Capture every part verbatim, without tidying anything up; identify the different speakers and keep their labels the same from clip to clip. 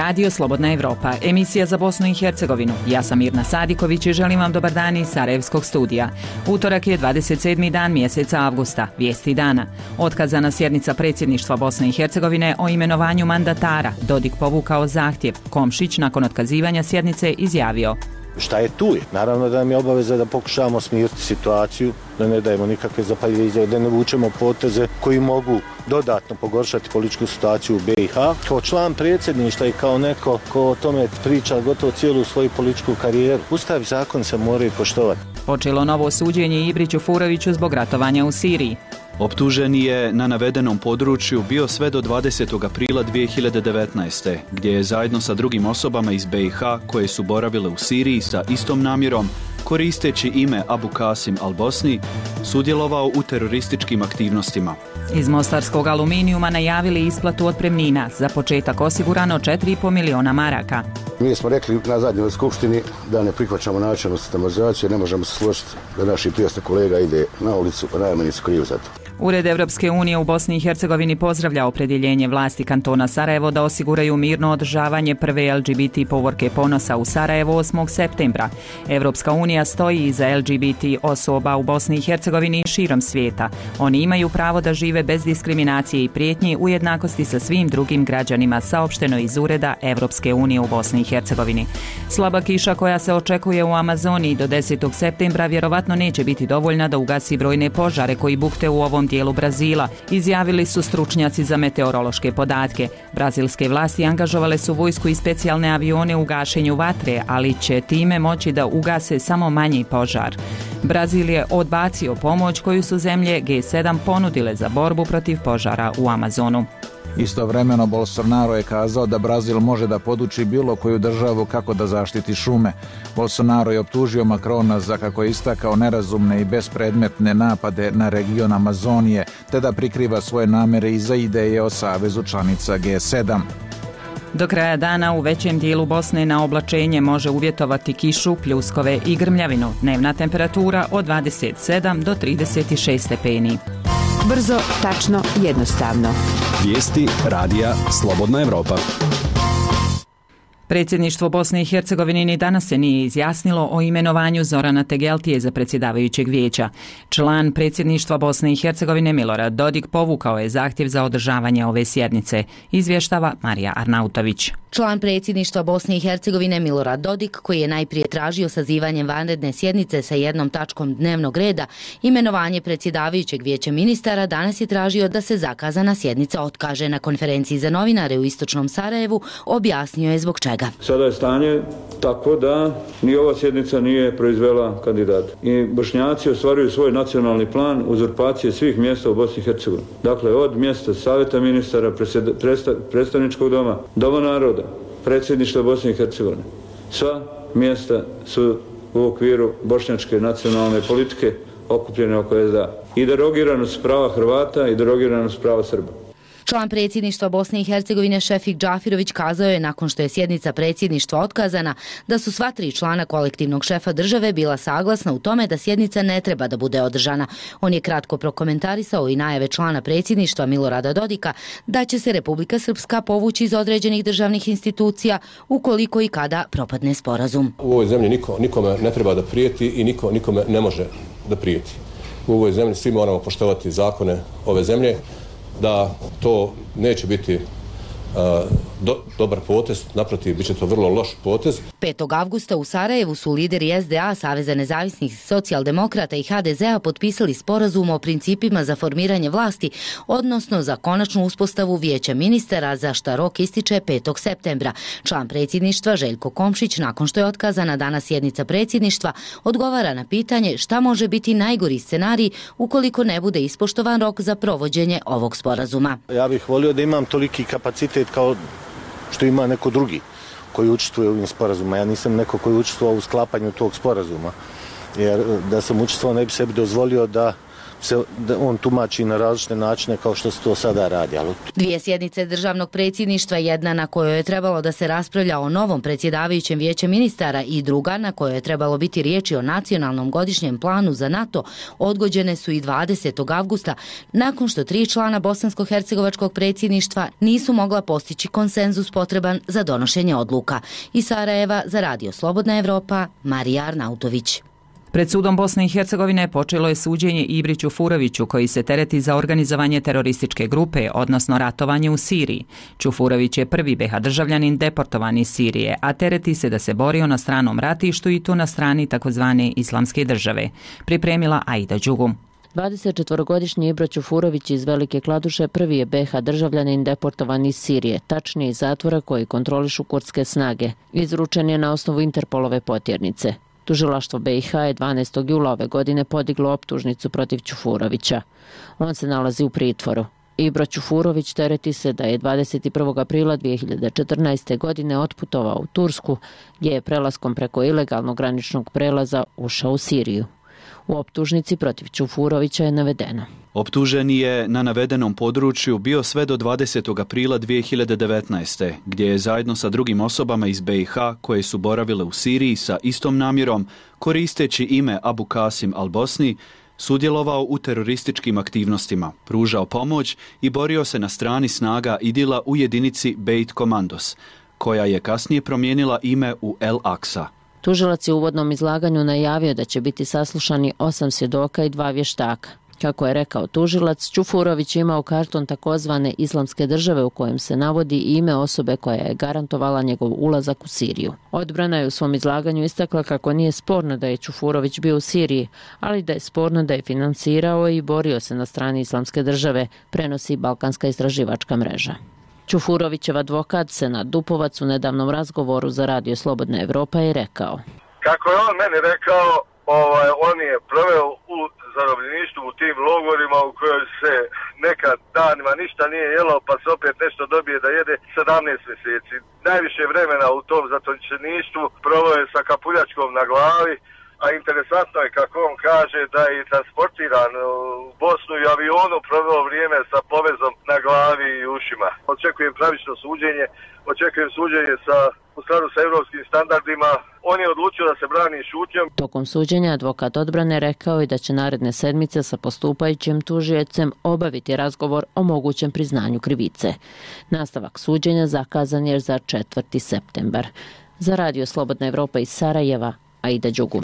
Speaker 1: Radio Slobodna Evropa, emisija za Bosnu i Hercegovinu. Ja sam Mirna Sadiković i želim vam dobar dan iz Sarajevskog studija. Utorak je dvadeset sedmi dan mjeseca avgusta, vijesti dana. Otkazana sjednica predsjedništva Bosne i Hercegovine o imenovanju mandatara. Dodik povukao zahtjev. Komšić nakon otkazivanja sjednice izjavio:
Speaker 2: Šta je tu je? Naravno da nam je obaveza da pokušavamo smiriti situaciju, da ne dajemo nikakve zapaljive izjave, da ne vučemo poteze koji mogu dodatno pogoršati političku situaciju u B i H. Kao član predsjedništva i kao neko ko o tome priča gotovo cijelu svoju političku karijeru, Ustav i zakon se moraju poštovati.
Speaker 1: Počelo novo suđenje Ibriću Furoviću zbog ratovanja u Siriji.
Speaker 3: Optuženi je na navedenom području bio sve do dvadesetog aprila dvije hiljade devetnaeste. gdje je zajedno sa drugim osobama iz B i H koje su boravile u Siriji sa istom namjerom, koristeći ime Abu Qasim al-Bosni, sudjelovao u terorističkim aktivnostima.
Speaker 1: Iz mostarskog aluminijuma najavili isplatu otpremnina, za početak osigurano četiri i pol miliona maraka.
Speaker 4: Mi smo rekli na zadnjoj skupštini da ne prihvaćamo načelnu sistematizaciju, ne možemo se složiti da naši prijatelj kolega ide na ulicu, pa najmanje su krivi za to.
Speaker 1: Ured Evropske unije u Bosni i Hercegovini pozdravlja opredjeljenje vlasti kantona Sarajevo da osiguraju mirno održavanje prve L G B T povorke ponosa u Sarajevo osmog septembra. Evropska unija stoji iza L G B T osoba u Bosni i Hercegovini i širom svijeta. Oni imaju pravo da žive bez diskriminacije i prijetnji u jednakosti sa svim drugim građanima, saopšteno iz Ureda Evropske unije u Bosni i Hercegovini. Slaba kiša koja se očekuje u Amazoniji do desetog septembra vjerovatno neće biti dovoljna da ugasi brojne požare koji bukte u ovom dijelu Brazila, izjavili su stručnjaci za meteorološke podatke. Brazilske vlasti angažovale su vojsku i specijalne avione u gašenju vatre, ali će time moći da ugase samo manji požar. Brazil je odbacio pomoć koju su zemlje G sedam ponudile za borbu protiv požara u Amazonu.
Speaker 5: Istovremeno Bolsonaro je kazao da Brazil može da poduči bilo koju državu kako da zaštiti šume. Bolsonaro je optužio Macrona za, kako je istakao, nerazumne i bespredmetne napade na region Amazonije, te da prikriva svoje namere iza ideje o savezu članica G sedam.
Speaker 1: Do kraja dana u većem dijelu Bosne na oblačenje može uvjetovati kišu, pljuskove i grmljavinu. Dnevna temperatura od dvadeset sedam do trideset šest stepeni.
Speaker 6: Brzo, tačno, jednostavno.
Speaker 7: Vijesti radija Slobodna Evropa.
Speaker 1: Predsjedništvo Bosne i Hercegovine ni danas se nije izjasnilo o imenovanju Zorana Tegeltije za predsjedavajućeg vijeća. Član predsjedništva Bosne i Hercegovine Milorad Dodik povukao je zahtjev za održavanje ove sjednice, izvještava Marija Arnautović.
Speaker 8: Član predsjedništva Bosne i Hercegovine Milorad Dodik, koji je najprije tražio sazivanje vanredne sjednice sa jednom tačkom dnevnog reda, imenovanje predsjedavajućeg vijeća ministara, danas je tražio da se zakazana sjednica otkaže. Na konferenciji za novinare u istočnom Sarajevu objasnio je zbog čega.
Speaker 9: Sada je stanje tako da ni ova sjednica nije proizvela kandidata. I Bošnjaci ostvaruju svoj nacionalni plan uzurpacije svih mjesta u Bosni i Hercegovini. Dakle, od mjesta Savjeta ministara, predstavničkog doma, Doma naroda, predsjedništva Bosne i Hercegovine. Sva mjesta su u okviru bošnjačke nacionalne politike okupljene oko S D A. I derogiranost prava Hrvata i derogiranost prava Srba.
Speaker 8: Član predsjedništva Bosne i Hercegovine Šefik Džafirović kazao je, nakon što je sjednica predsjedništva otkazana, da su sva tri člana kolektivnog šefa države bila saglasna u tome da sjednica ne treba da bude održana. On je kratko prokomentarisao i najave člana predsjedništva Milorada Dodika da će se Republika Srpska povući iz određenih državnih institucija ukoliko i kada propadne sporazum.
Speaker 10: U ovoj zemlji niko, nikome ne treba da prijeti i niko nikome ne može da prijeti. U ovoj zemlji svi moramo poštovati zakone ove zemlje, da to neće biti uh, do, dobar potez, naprotiv, bit će to vrlo loš potez.
Speaker 8: petog avgusta u Sarajevu su lideri S D A, Saveza nezavisnih socijaldemokrata i H D Z A potpisali sporazum o principima za formiranje vlasti, odnosno za konačnu uspostavu vijeća ministara, za šta rok ističe petog septembra. Član predsjedništva Željko Komšić, nakon što je otkazana danas sjednica predsjedništva, odgovara na pitanje šta može biti najgori scenarij ukoliko ne bude ispoštovan rok za provođenje ovog sporazuma.
Speaker 2: Ja bih volio da imam toliki kapacitet kao što ima neko drugi koji učestvuje u ovim sporazuma. Ja nisam neko koji učestvuje u sklapanju tog sporazuma, jer da sam učestvovao ne bi sebi dozvolio da se da on tumači na različite načine kao što se to sada radi. Ali...
Speaker 8: Dvije sjednice državnog predsjedništva, jedna na kojoj je trebalo da se raspravlja o novom predsjedavajućem vijeću ministara i druga na kojoj je trebalo biti riječi o nacionalnom godišnjem planu za NATO, odgođene su i dvadesetog avgusta, nakon što tri člana bosansko-hercegovačkog predsjedništva nisu mogla postići konsenzus potreban za donošenje odluka. Iz Sarajeva za Radio Slobodna Evropa, Marija Arnautović.
Speaker 1: Pred sudom Bosne i Hercegovine počelo je suđenje Ibri Čufuroviću koji se tereti za organizovanje terorističke grupe, odnosno ratovanje u Siriji. Čufurović je prvi be ha državljanin deportovan iz Sirije, a tereti se da se borio na stranom ratištu i to na strani takozvane Islamske države. Pripremila Aida Đugum.
Speaker 11: dvadesetčetvorogodišnji Ibro Čufurović iz Velike Kladuše prvi je be ha državljanin deportovan iz Sirije, tačnije iz zatvora koji kontrolišu kurdske snage. Izručen je na osnovu Interpolove potjernice. Tužilaštvo be i ha je dvanaestog jula ove godine podiglo optužnicu protiv Čufurovića. On se nalazi u pritvoru. Ibro Čufurović tereti se da je dvadeset prvog aprila dvije hiljade četrnaeste. godine otputovao u Tursku, gdje je prelaskom preko ilegalnog graničnog prelaza ušao u Siriju. U optužnici protiv Čufurovića je navedeno:
Speaker 3: optuženi je na navedenom području bio sve do dvadesetog aprila dvije hiljade devetnaeste. gdje je zajedno sa drugim osobama iz be i ha koje su boravile u Siriji sa istom namjerom, koristeći ime Abu Kasim al-Bosni, sudjelovao u terorističkim aktivnostima, pružao pomoć i borio se na strani snaga Idila u jedinici Beit Komandos, koja je kasnije promijenila ime u El Aksa.
Speaker 11: Tužilac je u uvodnom izlaganju najavio da će biti saslušani osam svjedoka i dva vještaka. Kako je rekao tužilac, Čufurović je imao karton takozvane Islamske države u kojem se navodi ime osobe koja je garantovala njegov ulazak u Siriju. Odbrana je u svom izlaganju istakla kako nije sporno da je Čufurović bio u Siriji, ali da je sporno da je financirao i borio se na strani Islamske države, prenosi Balkanska istraživačka mreža. Čufurovićev advokat Senad Dupovac u nedavnom razgovoru za Radio Slobodna Evropa je rekao:
Speaker 12: kako je on meni rekao, ovaj, on je proveo u zarobljeništvu u tim logorima u kojoj se nekad danima ništa nije jelo pa se opet nešto dobije da jede sedamnaest mjeseci. Najviše vremena u tom zatočeništvu proveo je sa kapuljačkom na glavi, a interesantno je kako on kaže da je transportiran u Bosnu i avionu proveo vrijeme sa povezom na glavi i ušima. Očekujem pravično suđenje, očekujem suđenje sa, u skladu sa europskim standardima. On je odlučio da se brani šutnjom.
Speaker 11: Tokom suđenja advokat odbrane rekao je da će naredne sedmice sa postupajućim tužiocem obaviti razgovor o mogućem priznanju krivice. Nastavak suđenja zakazan je za četvrti septembar. Za Radio Slobodna Evropa iz Sarajeva, Aida Đugum.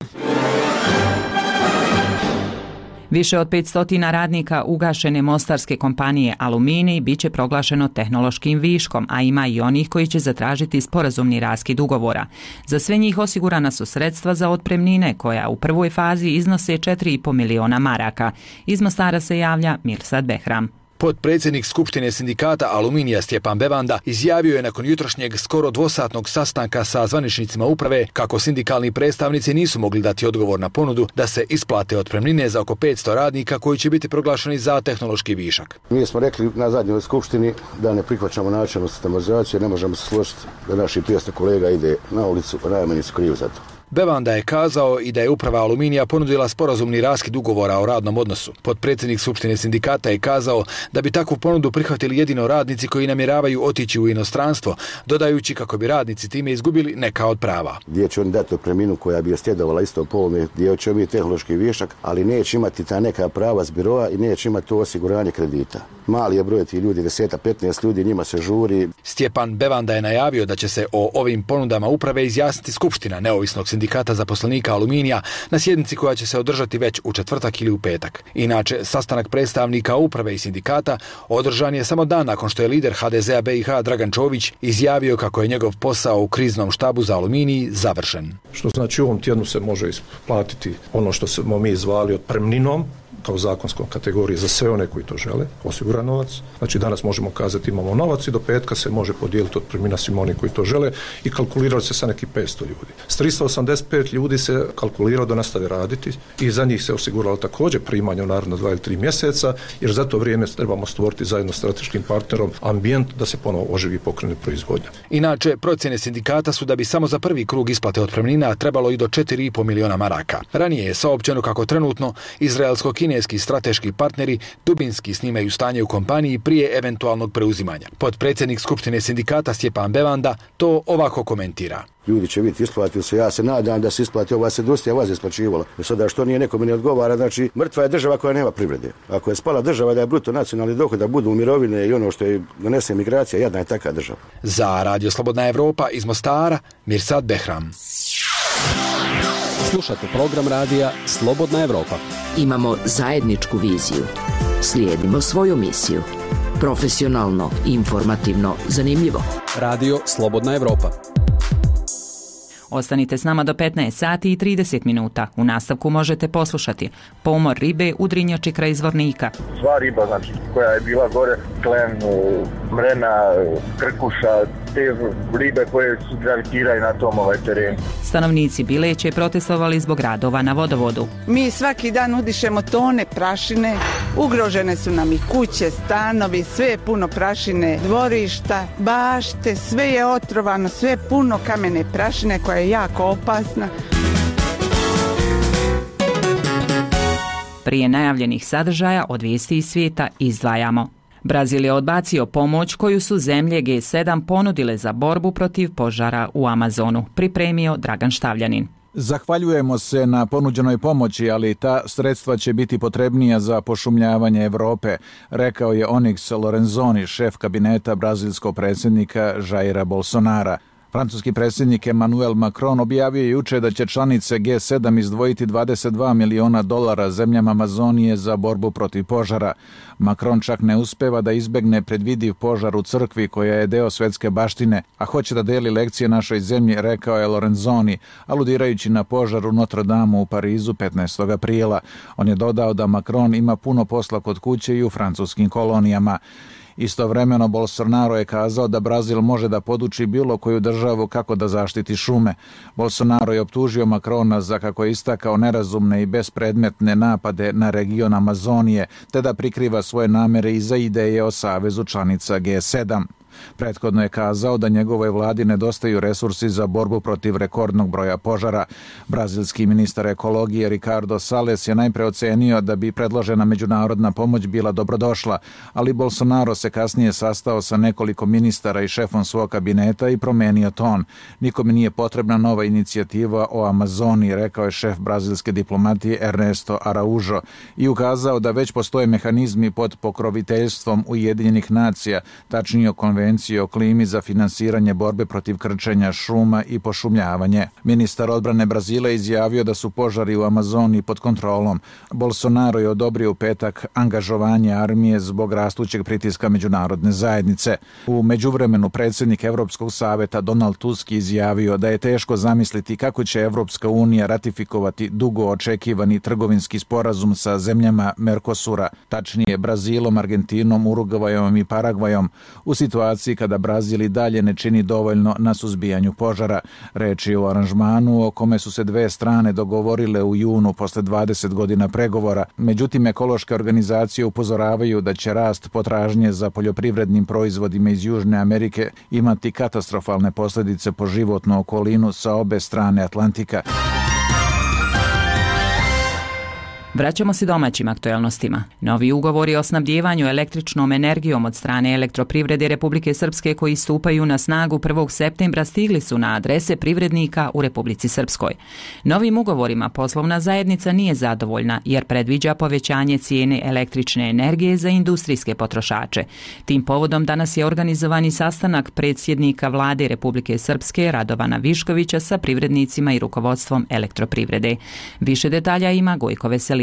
Speaker 1: Više od petsto radnika ugašene mostarske kompanije Aluminij biće proglašeno tehnološkim viškom, a ima i onih koji će zatražiti sporazumni raskid ugovora. Za sve njih osigurana su sredstva za otpremnine koja u prvoj fazi iznose četiri i po miliona maraka. Iz Mostara se javlja Mirsad Behram.
Speaker 13: Potpredsjednik Skupštine sindikata Aluminija Stjepan Bevanda izjavio je nakon jutrošnjeg skoro dvosatnog sastanka sa zvaničnicima uprave kako sindikalni predstavnici nisu mogli dati odgovor na ponudu da se isplate otpremnine za oko petsto radnika koji će biti proglašeni za tehnološki višak.
Speaker 4: Mi smo rekli na zadnjoj skupštini da ne prihvaćamo načelnu sistematizaciju, ne možemo se složiti da naši petsto kolega ide na ulicu, a najmanje su krivi za to.
Speaker 13: Bevanda je kazao i da je uprava Aluminija ponudila sporazumni raskid ugovora o radnom odnosu. Potpredsjednik Skupštine sindikata je kazao da bi takvu ponudu prihvatili jedino radnici koji namjeravaju otići u inostranstvo, dodajući kako bi radnici time izgubili neka od prava.
Speaker 4: Gdje će oni dati otpremninu koja bi ostjedovala isto polme, gdje će biti tehnološki višak, ali neće imati ta neka prava s biroa i neće imati to osiguranje kredita. Mali je broj ti ljudi, deset do petnaest ljudi, njima se žuri.
Speaker 13: Stjepan Bevanda je najavio da će se o ovim ponudama uprave izjasniti Skupština neovisnog sindikata zaposlenika Aluminija na sjednici koja će se održati već u četvrtak ili u petak. Inače, sastanak predstavnika uprave i sindikata održan je samo dan nakon što je lider ha de zea be i ha Dragan Čović izjavio kako je njegov posao u kriznom štabu za Aluminij završen.
Speaker 14: Što znači u ovom tjednu se može isplatiti ono što smo mi zvali otpremninom, kao zakonskom kategoriji za sve one koji to žele, osiguran novac. Znači danas možemo kazati imamo novac i do petka se može podijeliti otpremnina svima oni koji to žele i kalkulirali se sa nekih petsto ljudi. S tristo osamdeset pet ljudi se kalkuliralo da nastave raditi i za njih se osiguralo također primanje u naredno dva ili tri mjeseca, jer za to vrijeme trebamo stvoriti zajedno s strateškim partnerom ambijent da se ponovo oživi i pokrene proizvodnja.
Speaker 13: Inače, procjene sindikata su da bi samo za prvi krug isplate otpremnina trebalo i do četiri i po miliona maraka. Ranije je saopćeno kako trenutno izraelsko-kinesko kineski strateški partneri dubinski snimaju stanje u kompaniji prije eventualnog preuzimanja. Potpredsjednik Skupštine sindikata Stjepan Bevanda to ovako komentira.
Speaker 4: Ljudi će biti isplatili se, ja se nadam da se isplati, ova se industrija vas isplaćivala. Sada što nije nekome ne odgovara, znači mrtva je država koja nema privrede. Ako je spala država da je bruto nacionalni dohod, da budu mirovine i ono što je donese migracija, jedna je takva država.
Speaker 13: Za Radio Slobodna Evropa iz Mostara, Mirsad Behram.
Speaker 7: Slušate program radija Slobodna Evropa.
Speaker 6: Imamo zajedničku viziju. Slijedimo svoju misiju. Profesionalno, informativno, zanimljivo.
Speaker 7: Radio Slobodna Evropa.
Speaker 1: Ostanite s nama do petnaest sati i trideset minuta. U nastavku možete poslušati pomor ribe u Drinjači kraj Zvornika.
Speaker 12: Sva riba, znači, koja je bila gore, klen, mrena, krkuša, te ribe koje su gravitiraju na tom ovaj terenu.
Speaker 1: Stanovnici Bileće protestovali zbog radova na vodovodu.
Speaker 15: Mi svaki dan udišemo tone prašine, ugrožene su nam i kuće, stanovi, sve je puno prašine, dvorišta, bašte, sve je otrovano, sve je puno kamene prašine koja je jako opasna.
Speaker 1: Prije najavljenih sadržaja od vijesti iz svijeta izdvajamo. Brazil je odbacio pomoć koju su zemlje G sedam ponudile za borbu protiv požara u Amazonu, pripremio Dragan Štavljanin.
Speaker 5: Zahvaljujemo se na ponuđenoj pomoći, ali ta sredstva će biti potrebnija za pošumljavanje Europe, rekao je Onyx Lorenzoni, šef kabineta brazilskog predsjednika Jaira Bolsonara. Francuski predsjednik Emmanuel Macron objavio je juče da će članice G sedam izdvojiti dvadeset dva miliona dolara zemljama Amazonije za borbu protiv požara. Macron čak ne uspeva da izbegne predvidiv požar u crkvi koja je deo svetske baštine, a hoće da deli lekcije našoj zemlji, rekao je Lorenzoni, aludirajući na požar u Notre Dame u Parizu petnaestog aprila. On je dodao da Macron ima puno posla kod kuće i u francuskim kolonijama. Istovremeno Bolsonaro je kazao da Brazil može da poduči bilo koju državu kako da zaštiti šume. Bolsonaro je optužio Macrona za, kako je istakao, nerazumne i bespredmetne napade na region Amazonije, te da prikriva svoje namere iza ideje o savezu članica G sedam. Prethodno je kazao da njegovoj vladi nedostaju resursi za borbu protiv rekordnog broja požara. Brazilski ministar ekologije Ricardo Salles je najpre ocenio da bi predložena međunarodna pomoć bila dobrodošla, ali Bolsonaro se kasnije sastao sa nekoliko ministara i šefom svog kabineta i promenio ton. Nikome nije potrebna nova inicijativa o Amazoniji, rekao je šef brazilske diplomatije Ernesto Araujo i ukazao da već postoje mehanizmi pod pokroviteljstvom Ujedinjenih nacija, tačnije konvencije o klimi za finansiranje borbe protiv krčenja šuma i pošumljavanje. Ministar odbrane Brazila izjavio da su požari u Amazoniji pod kontrolom. Bolsonaro je odobrio u petak angažovanje armije zbog rastućeg pritiska međunarodne zajednice. U međuvremenu predsjednik Evropskog saveta Donald Tusk izjavio da je teško zamisliti kako će Evropska unija ratifikovati dugo očekivani trgovinski sporazum sa zemljama Mercosura, tačnije Brazilom, Argentinom, Urugvajom i Paragvajom, u situaciji kada Brazil i dalje ne čini dovoljno na suzbijanju požara. Reč je o aranžmanu o kome su se dve strane dogovorile u junu posle dvadeset godina pregovora. Međutim, ekološke organizacije upozoravaju da će rast potražnje za poljoprivrednim proizvodima iz Južne Amerike imati katastrofalne posljedice po životnu okolinu sa obe strane Atlantika.
Speaker 1: Vraćamo se domaćim aktuelnostima. Novi ugovori o snabdjevanju električnom energijom od strane Elektroprivrede Republike Srpske koji stupaju na snagu prvog septembra stigli su na adrese privrednika u Republici Srpskoj. Novim ugovorima poslovna zajednica nije zadovoljna jer predviđa povećanje cijene električne energije za industrijske potrošače. Tim povodom danas je organizovani sastanak predsjednika Vlade Republike Srpske Radovana Viškovića sa privrednicima i rukovodstvom Elektroprivrede. Više detalja ima Gojko Veselinović.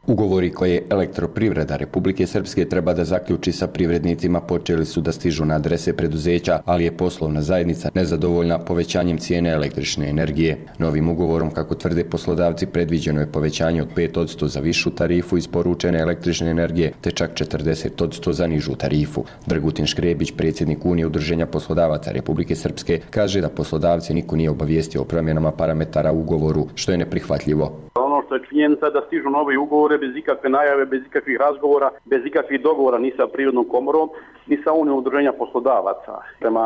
Speaker 16: Ugovori koje Elektroprivreda Republike Srpske treba da zaključi sa privrednicima počeli su da stižu na adrese preduzeća, ali je poslovna zajednica nezadovoljna povećanjem cijene električne energije. Novim ugovorom, kako tvrde poslodavci, predviđeno je povećanje od pet posto za višu tarifu isporučene električne energije, te čak četrdeset posto za nižu tarifu. Dragutin Škrebić, predsjednik Unije udruženja poslodavaca Republike Srpske, kaže da poslodavci niko nije obavijestio o promjenama parametara u ugovoru, što je neprihvatljivo.
Speaker 17: Ono što je činjenica da stižu novi ugovore bez ikakve najave, bez ikakvih razgovora, bez ikakvih dogovora ni sa Privrednom komorom, ni sa Unijom udruženja poslodavaca. Prema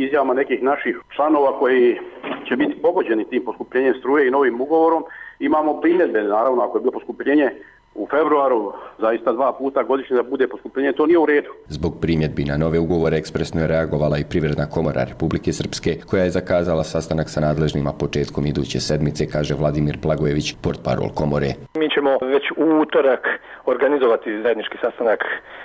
Speaker 17: izjavama nekih naših članova koji će biti pogođeni tim poskupljenjem struje i novim ugovorom, imamo primjedbe, naravno, ako je bilo poskupljenje u februaru, zaista dva puta godišnje da bude poskupljenje, to nije u redu.
Speaker 16: Zbog primjedbi na nove ugovore ekspresno je reagovala i Privredna komora Republike Srpske, koja je zakazala sastanak sa nadležnima početkom iduće sedmice, kaže Vladimir Blagojević, portparol komore.
Speaker 18: Mi ćemo već u utorak organizovati zajednički sastanak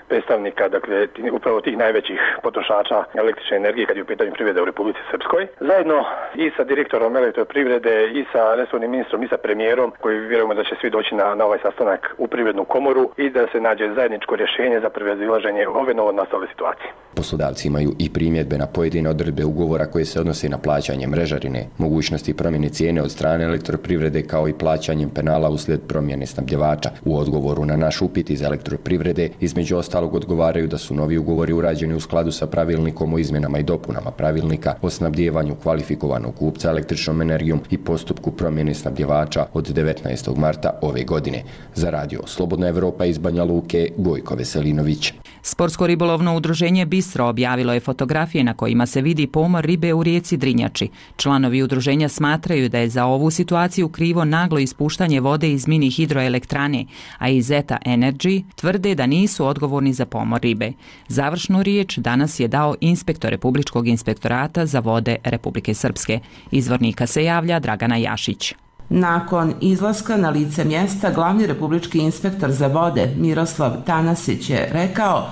Speaker 18: predstavnika, dakle, upravo tih najvećih potrošača električne energije kad je u pitanju privrede u Republici Srpskoj. Zajedno i sa direktorom elektroprivrede i sa resornim ministrom i sa premijerom, koji vjerujemo da će svi doći na, na ovaj sastanak u Privrednu komoru i da se nađe zajedničko rješenje za prevazilaženje ove novonastale situacije.
Speaker 16: Poslodavci imaju i primjedbe na pojedine odredbe ugovora koje se odnose na plaćanje mrežarine, mogućnosti promjene cijene od strane elektroprivrede kao i plaćanjem penala uslijed promjene snabdjevača. U odgovoru na naš upit iz elektroprivrede između ostalog odgovaraju da su novi ugovori urađeni u skladu sa pravilnikom o izmjenama i dopunama pravilnika o snabdjevanju kvalifikovanog kupca električnom energijom i postupku promjene snabdjevača od devetnaestog marta ove godine. Za radio Slobodna Evropa iz Banja Luke, Gojko Veselinović.
Speaker 1: Sportsko-ribolovno udruženje Bistro objavilo je fotografije na kojima se vidi pomor ribe u rijeci Drinjači. Članovi udruženja smatraju da je za ovu situaciju krivo naglo ispuštanje vode iz mini hidroelektrane, a iz Eta Energy tvrde da nisu odgovorni za pomor ribe. Završnu riječ danas je dao inspektor Republičkog inspektorata za vode Republike Srpske. Izvornika se javlja Dragana Jašić.
Speaker 19: Nakon izlaska na lice mjesta, glavni republički inspektor za vode Miroslav Tanasić je rekao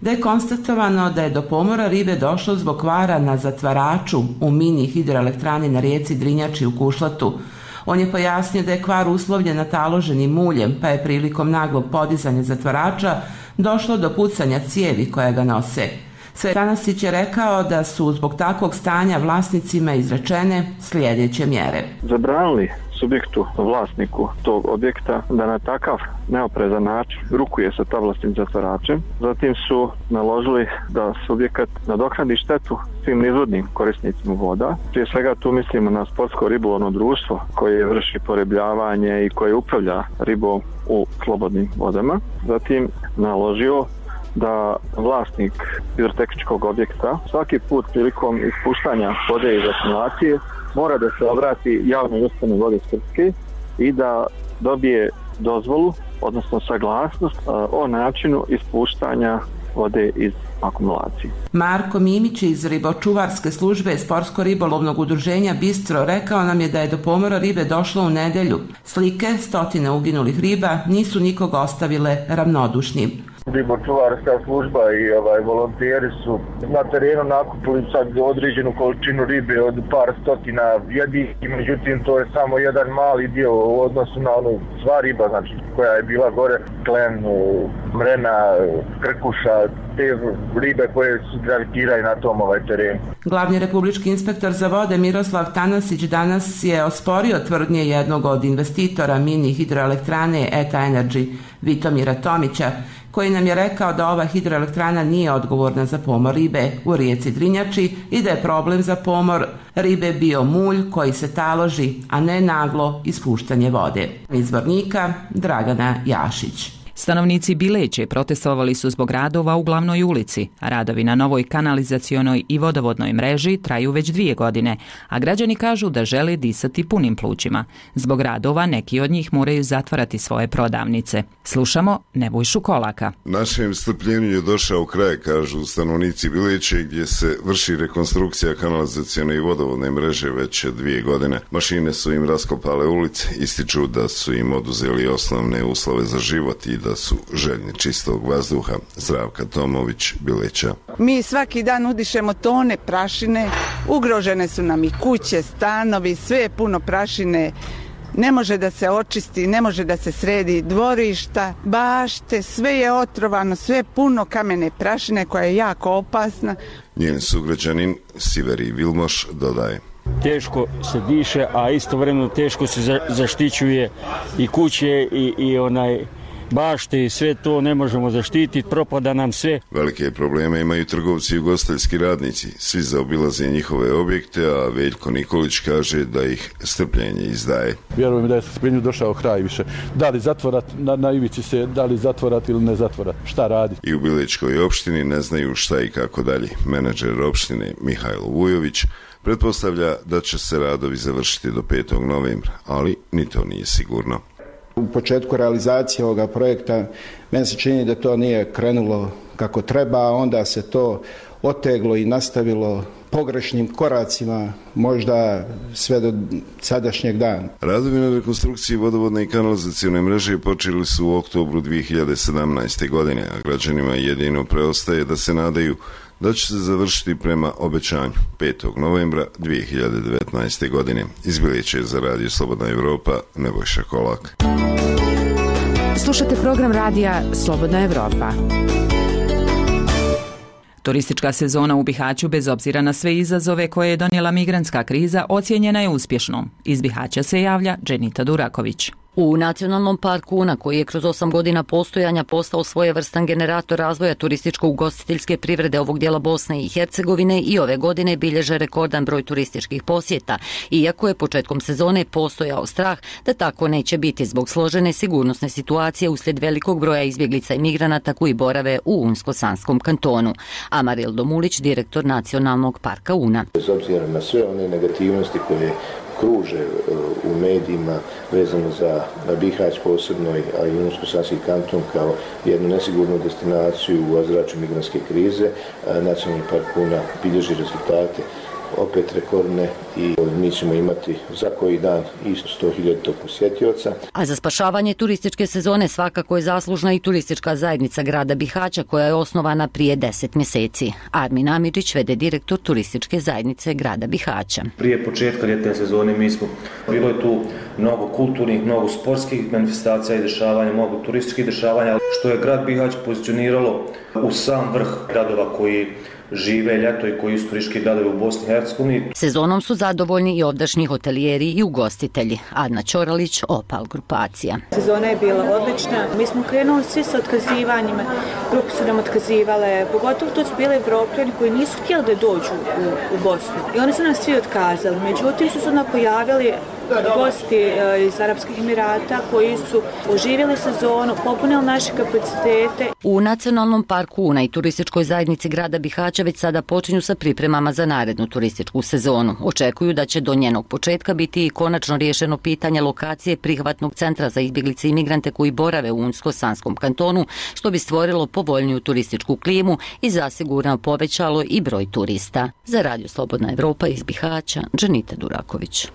Speaker 19: da je konstatovano da je do pomora ribe došlo zbog kvara na zatvaraču u mini hidroelektrani na rijeci Drinjači u Kušlatu. On je pojasnio da je kvar uslovljen nataloženim muljem, pa je prilikom naglog podizanja zatvarača došlo do pucanja cijevi koja ga nose. Sve Tanasić je rekao da su zbog takvog stanja vlasnicima izrečene sljedeće mjere.
Speaker 20: Zabranili subjektu, vlasniku tog objekta da na takav neoprezan način rukuje sa tavlastim zatvaračem. Zatim su naložili da subjekat nadoknadi štetu svim izvodnim korisnicima voda. Prije svega tu mislimo na sportsko ribolovno društvo koje vrši poribljavanje i koje upravlja ribom u slobodnim vodama. Zatim naložio da vlasnik hidrotehničkog objekta svaki put prilikom ispuštanja vode iz akumulacije mora da se obrati javnoj ustanovi Vode Srpske i da dobije dozvolu, odnosno saglasnost o načinu ispuštanja vode iz akumulacije.
Speaker 19: Marko Mimić iz ribočuvarske službe Sportsko-ribolovnog udruženja Bistro rekao nam je da je do pomora ribe došlo u nedelju. Slike stotine uginulih riba nisu nikoga ostavile ravnodušnim.
Speaker 12: Ribočuvarska služba i ovaj volonteri su na terenu nakupili sad određenu količinu ribe od par stotina jedi, međutim to je samo jedan mali dio u odnosu na onu sva riba, znači koja je bila gore, klen, mrena, krkuša, te ribe koje su gravitiraju na tom ovaj terenu.
Speaker 19: Glavni republički inspektor za vode Miroslav Tanasić danas je osporio tvrdnje jednog od investitora mini hidroelektrane Eta Energy, Vitomira Tomića, koji nam je rekao da ova hidroelektrana nije odgovorna za pomor ribe u rijeci Drinjači i da je problem za pomor ribe bio mulj koji se taloži, a ne naglo ispuštanje vode. Izvornika Dragana Jašić.
Speaker 1: Stanovnici Bileće protestovali su zbog radova u glavnoj ulici. Radovi na novoj kanalizacionoj i vodovodnoj mreži traju već dvije godine, a građani kažu da žele disati punim plućima. Zbog radova neki od njih moraju zatvarati svoje prodavnice. Slušamo Nebojšu Kolaka.
Speaker 21: Našem strpljenju je došao kraj, kažu stanovnici Bileće, gdje se vrši rekonstrukcija kanalizacione i vodovodne mreže već dvije godine. Mašine su im raskopale ulice, ističu da su im oduzeli osnovne uslove za život i da su željni čistog vazduha. Zdravka Tomović, Bileća.
Speaker 15: Mi svaki dan udišemo tone prašine, ugrožene su nam i kuće, stanovi, sve je puno prašine. Ne može da se očisti, ne može da se sredi dvorišta, bašte, sve je otrovano, sve je puno kamene prašine koja je jako opasna.
Speaker 21: Njen sugrađanin Siveri Vilmoš dodaje:
Speaker 22: teško se diše, a istovremeno teško se zaštićuje i kuće i, i onaj bašte i sve to ne možemo zaštititi, propada nam sve.
Speaker 21: Velike probleme imaju trgovci i ugostiteljski radnici. Svi zaobilaze njihove objekte, a Veljko Nikolić kaže da ih strpljenje izdaje.
Speaker 23: Vjerujem da je strpljenju došao kraj više. Da li zatvorat, na, na ivici se, da li zatvorat ili ne zatvorat, šta radi?
Speaker 21: I u Bilečkoj opštini ne znaju šta i kako dalje. Menadžer opštine Mihajlo Vujović pretpostavlja da će se radovi završiti do petog novembra, ali ni to nije sigurno.
Speaker 2: U početku realizacije ovoga projekta meni se čini da to nije krenulo kako treba, a onda se to oteglo i nastavilo pogrešnim koracima, možda sve do sadašnjeg dana.
Speaker 21: Radovi na rekonstrukciji vodovodne i kanalizacione mreže počeli su u oktobru dvije hiljade sedamnaeste. godine, a građanima jedino preostaje da se nadaju da će se završiti prema obećanju petog novembra dvije hiljade devetnaeste. godine. Iz Bilića za Radio Slobodna Evropa, Nebojša Kolak.
Speaker 9: Slušate program radija Slobodna Evropa.
Speaker 1: Turistička sezona u Bihaću, bez obzira na sve izazove koje je donijela migrantska kriza, ocijenjena je uspješnom. Iz Bihaća se javlja Dženita Duraković.
Speaker 10: U Nacionalnom parku Una, koji je kroz osam godina postojanja postao svojevrstan generator razvoja turističko-ugostiteljske privrede ovog dijela Bosne i Hercegovine, i ove godine bilježe rekordan broj turističkih posjeta, iako je početkom sezone postojao strah da tako neće biti zbog složene sigurnosne situacije uslijed velikog broja izbjeglica i migranata koji borave u Unsko-Sanskom kantonu. Amaril Domulić, direktor Nacionalnog parka Una.
Speaker 24: Bez obzira na sve one negativnosti koje kruže u medijima vezano za Bihać posebno, a i Unsko-Sanski kanton kao jednu nesigurnu destinaciju u ozračju migrantske krize, Nacionalni park Una bilježi rezultate opet rekordne i mi ćemo imati za koji dan isto sto hiljada posjetioca.
Speaker 10: A za spašavanje turističke sezone svakako je zaslužna i turistička zajednica grada Bihaća, koja je osnovana prije deset mjeseci. Armin Amidžić, vede direktor turističke zajednice grada Bihaća.
Speaker 25: Prije početka ljetne sezone mi smo, bilo je tu mnogo kulturnih, mnogo sportskih manifestacija i dešavanja, mnogo turističkih dešavanja, što je grad Bihać pozicioniralo u sam vrh gradova koji žive ljeto i koji su turistički gradovi u Bosni i Hercegovini.
Speaker 10: Sezonom su zadovoljni i ovdašnji hotelijeri i ugostitelji. Adna Ćoralić, Opal grupacija.
Speaker 26: Sezona je bila odlična. Mi smo krenuli svi sa otkazivanjima. Grupe su nam otkazivale. Pogotovo to su bile Evropljani koji nisu htjeli da dođu u, u Bosnu. I oni su nam svi otkazali. Međutim su se onda pojavili gosti iz Arapskih Emirata koji su oživjeli sezonu, popunili naše kapacitete.
Speaker 10: U Nacionalnom parku Una i turističkoj zajednici grada Bihaća već sada počinju sa pripremama za narednu turističku sezonu. Očekuju da će do njenog početka biti i konačno riješeno pitanje lokacije prihvatnog centra za izbjeglice i migrante koji borave u Unsko-Sanskom kantonu, što bi stvorilo povoljniju turističku klimu i zasigurno povećalo i broj turista. Za Radio Slobodna Evropa iz Bihaća, Dženita Duraković.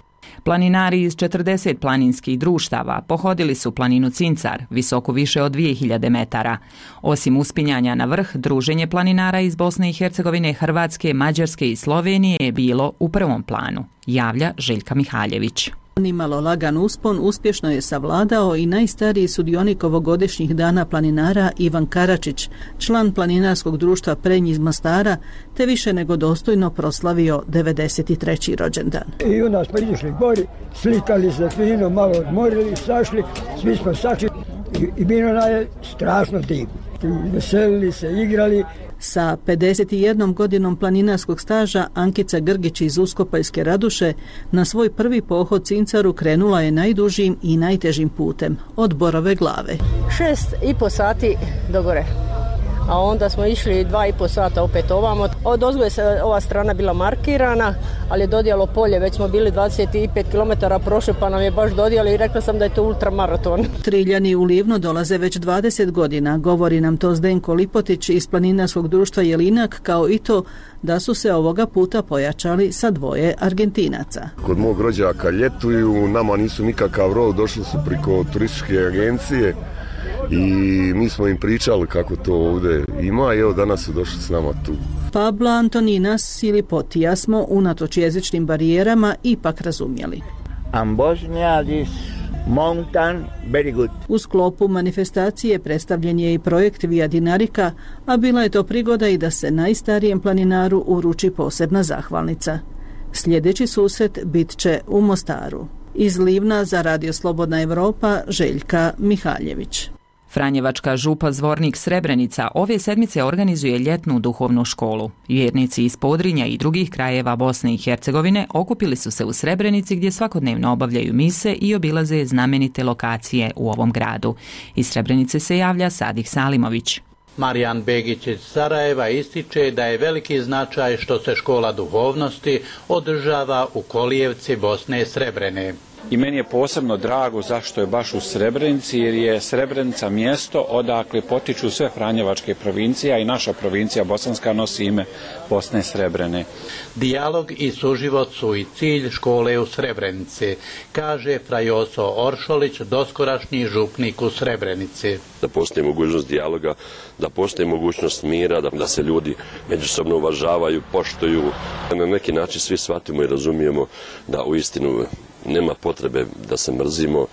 Speaker 1: Planinari iz četrdeset planinskih društava pohodili su planinu Cincar, visoku više od dvije hiljade metara. Osim uspinjanja na vrh, druženje planinara iz Bosne i Hercegovine, Hrvatske, Mađarske i Slovenije je bilo u prvom planu, javlja Željka Mihaljević.
Speaker 27: Nimalo lagan uspon uspješno je savladao i najstariji sudionik ovogodišnjih dana planinara Ivan Karačić, član planinarskog društva Prenj iz Mostara, te više nego dostojno proslavio devedeset treći rođendan.
Speaker 28: I onda smo izišli gori, slikali se fino, malo odmorili, sašli, svi smo sašli i, i bilo nam je strašno divno. Veselili se, igrali.
Speaker 27: Sa pedeset jednom godinom planinarskog staža Ankica Grgić iz Uskopaljske Raduše na svoj prvi pohod Cincaru krenula je najdužim i najtežim putem, od Borove glave.
Speaker 29: Šest i po sati do gore, a onda smo išli dva i po sata opet ovamo. Od ozgo je se ova strana bila markirana, ali je dodijalo polje, već smo bili dvadeset pet kilometara prošli, pa nam je baš dodijalo i rekla sam da je to ultramaraton.
Speaker 27: Triljani u Livnu dolaze već dvadeset godina, govori nam to Zdenko Lipotić iz planinarskog društva Jelinak, kao i to da su se ovoga puta pojačali sa dvoje Argentinaca.
Speaker 30: Kod mog rođaka ljetuju, nama nisu nikakav rol, došli su priko turističke agencije i mi smo im pričali kako to ovdje ima i evo danas su došli s nama tu.
Speaker 27: Pabla Antoninas ili Potija smo unatoč jezičnim barijerama ipak razumjeli.
Speaker 31: Ambosnjadis mountain very good.
Speaker 27: U sklopu manifestacije predstavljen je i projekt Via Dinarika, a bila je to prigoda i da se najstarijem planinaru uruči posebna zahvalnica. Sljedeći susret bit će u Mostaru. Iz Livna za Radio Slobodna Evropa, Željka Mihaljević.
Speaker 1: Franjevačka župa Zvornik Srebrenica ove sedmice organizuje ljetnu duhovnu školu. Vjernici iz Podrinja i drugih krajeva Bosne i Hercegovine okupili su se u Srebrenici gdje svakodnevno obavljaju mise i obilaze znamenite lokacije u ovom gradu. Iz Srebrenice se javlja Sadih Salimović.
Speaker 32: Marijan Begić iz Sarajeva ističe da je veliki značaj što se škola duhovnosti održava u kolijevci Bosne Srebrene.
Speaker 3: I meni je posebno drago zašto je baš u Srebrenici, jer je Srebrenica mjesto odakle potiču sve franjevačke provincije, i naša provincija Bosanska nosi ime Bosne Srebrene.
Speaker 32: Dijalog i suživot su i cilj škole u Srebrenici, kaže Frajoso Oršolić, doskorašnji župnik u Srebrenici.
Speaker 4: Da postoji mogućnost dijaloga, da postoji mogućnost mira, da, da se ljudi međusobno uvažavaju, poštuju. Na neki način svi shvatimo i razumijemo da uistinu nema potrebe da se mrzimo,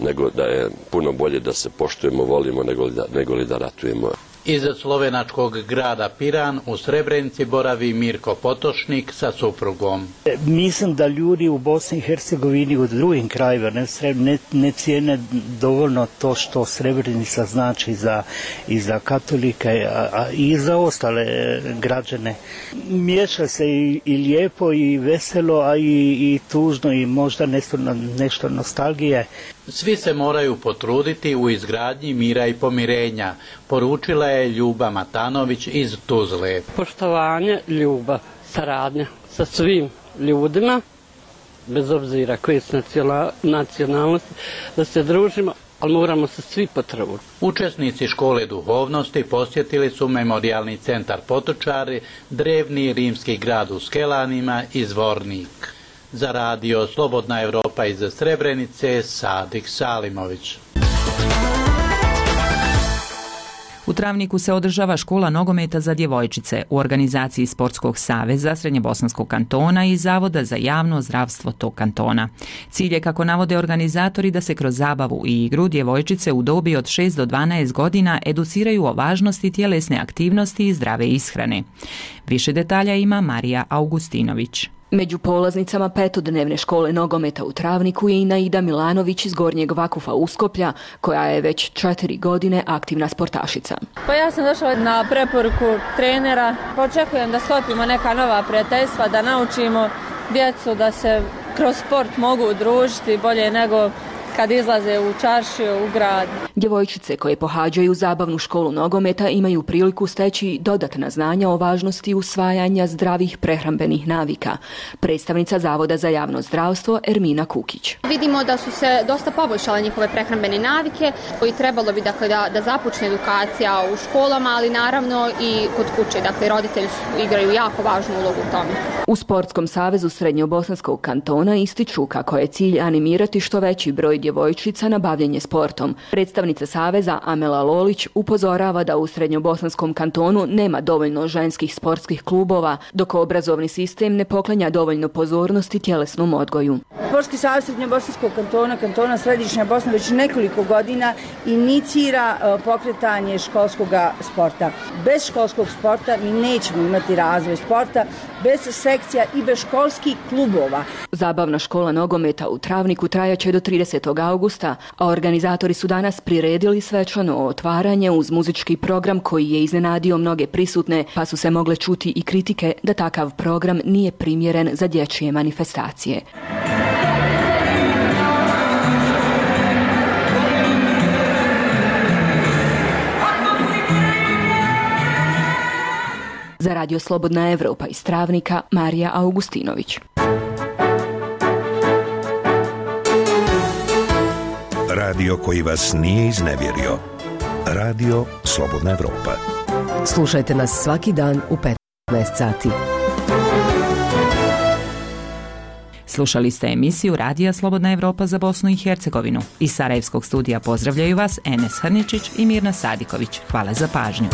Speaker 4: nego da je puno bolje da se poštujemo, volimo, nego li da, nego li da ratujemo.
Speaker 32: Iz slovenačkog grada Piran u Srebrenici boravi Mirko Potočnik sa suprugom.
Speaker 5: Mislim da ljudi u Bosni i Hercegovini u drugim krajevima ne, ne, ne cijene dovoljno to što Srebrenica znači za, i za katolike, a, a i za ostale građane. Miješa se i, i lijepo i veselo, a i, i tužno i možda nešto, nešto nostalgije.
Speaker 32: Svi se moraju potruditi u izgradnji mira i pomirenja, poručila je Ljuba Matanović iz Tuzle.
Speaker 6: Poštovanje, ljubav, saradnja sa svim ljudima, bez obzira koje su nacionalnosti, da se družimo, ali moramo se svi potruditi.
Speaker 32: Učesnici škole duhovnosti posjetili su memorijalni centar Potočari, drevni rimski grad u Skelanima i Zvornik. Za radio Slobodna Evropa iz Srebrenice, Sadik Salimović.
Speaker 1: U Travniku se održava škola nogometa za djevojčice u organizaciji Sportskog saveza Srednjobosanskog kantona i Zavoda za javno zdravstvo tog kantona. Cilj je, kako navode organizatori, da se kroz zabavu i igru djevojčice u dobi od šest do dvanaest godina educiraju o važnosti tjelesne aktivnosti i zdrave ishrane. Više detalja ima Marija Augustinović.
Speaker 7: Među polaznicama petodnevne škole nogometa u Travniku je i Naida Milanović iz Gornjeg Vakufa Uskoplja, koja je već četiri godine aktivna sportašica.
Speaker 8: Pa ja sam došla na preporuku trenera. Očekujem da sklopimo neka nova prijateljstva, da naučimo djecu da se kroz sport mogu udružiti bolje nego kad izlaze u čaršiju, u grad.
Speaker 7: Djevojčice koje pohađaju zabavnu školu nogometa imaju priliku steći dodatna znanja o važnosti usvajanja zdravih prehrambenih navika. Predstavnica Zavoda za javno zdravstvo Ermina Kukić.
Speaker 11: Vidimo da su se dosta poboljšale njihove prehrambene navike, koji trebalo bi dakle, da, da započne edukacija u školama, ali naravno i kod kuće. Dakle, roditelji igraju jako važnu ulogu u tome.
Speaker 7: U Sportskom savezu Srednjobosanskog kantona ističu kako je cilj animirati što veći broj djevojčica na bavljenje sportom. Predstavnica saveza Amela Lolić upozorava da u Srednjobosanskom kantonu nema dovoljno ženskih sportskih klubova, dok obrazovni sistem ne poklanja dovoljno pozornosti tjelesnom odgoju.
Speaker 13: Sportski savez Srednjobosanskog kantona, kantona Središnja Bosna već nekoliko godina inicira pokretanje školskog sporta. Bez školskog sporta mi nećemo imati razvoj sporta, bez sekcija i bez školskih klubova.
Speaker 7: Zabavna škola nogometa u Travniku trajaće do tridesetog augusta, a organizatori su danas priredili svečano otvaranje uz muzički program koji je iznenadio mnoge prisutne, pa su se mogle čuti i kritike da takav program nije primjeren za dječje manifestacije. Za radio Slobodna Evropa iz Travnika, Marija Augustinović.
Speaker 14: Radio koji vas nije iznevjerio. Radio Slobodna Evropa.
Speaker 16: Slušajte nas svaki dan u petnaest sati.
Speaker 1: Slušali ste emisiju Radija Slobodna Evropa za Bosnu i Hercegovinu. Iz Sarajevskog studija pozdravljaju vas Enes Hrničić i Mirna Sadiković. Hvala za pažnju.